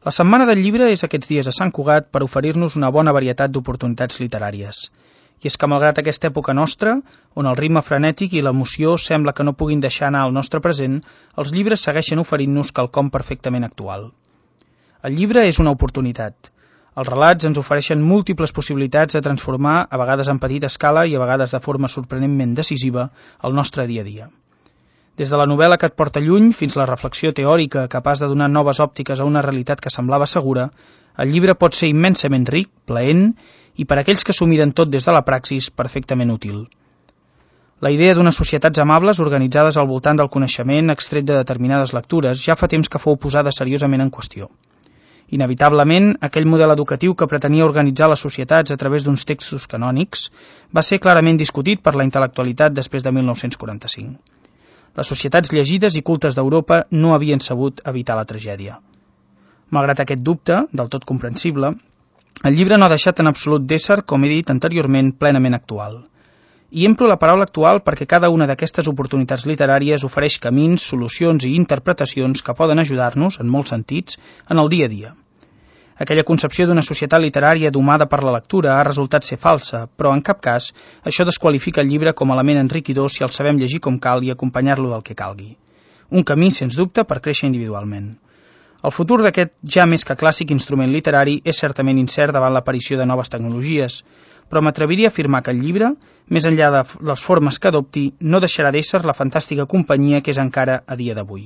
La Setmana del Llibre és aquests dies a Sant Cugat per oferir-nos una bona varietat d'oportunitats literàries. I és que malgrat aquesta època nostra, on el ritme frenètic i l'emoció sembla que no puguin deixar anar el nostre present, els llibres segueixen oferint-nos quelcom perfectament actual. El llibre és una oportunitat. Els relats ens ofereixen múltiples possibilitats de transformar, a vegades en petita escala i a vegades de forma sorprenentment decisiva, el nostre dia a dia. Des de la novel·la que et porta lluny fins a la reflexió teòrica capaç de donar noves òptiques a una realitat que semblava segura, el llibre pot ser immensament ric, plaent i per a aquells que s'ho miren tot des de la praxis, perfectament útil. La idea d'unes societats amables organitzades al voltant del coneixement extret de determinades lectures ja fa temps que fou posada seriosament en qüestió. Inevitablement, aquell model educatiu que pretenia organitzar les societats a través d'uns textos canònics va ser clarament discutit per la intel·lectualitat després de 1945. Les societats llegides i cultes d'Europa no havien sabut evitar la tragèdia. Malgrat aquest dubte, del tot comprensible, el llibre no ha deixat en absolut d'ésser, com he dit anteriorment, plenament actual. I emplo la paraula actual perquè cada una d'aquestes oportunitats literàries ofereix camins, solucions i interpretacions que poden ajudar-nos, en molts sentits, en el dia a dia. Aquella concepció d'una societat literària domada per la lectura ha resultat ser falsa, però en cap cas això desqualifica el llibre com a element enriquidor si el sabem llegir com cal i acompanyar-lo del que calgui. Un camí, sens dubte, per créixer individualment. El futur d'aquest ja més que clàssic instrument literari és certament incert davant l'aparició de noves tecnologies, però m'atreviria a afirmar que el llibre, més enllà de les formes que adopti, no deixarà d'ésser la fantàstica companyia que és encara a dia d'avui.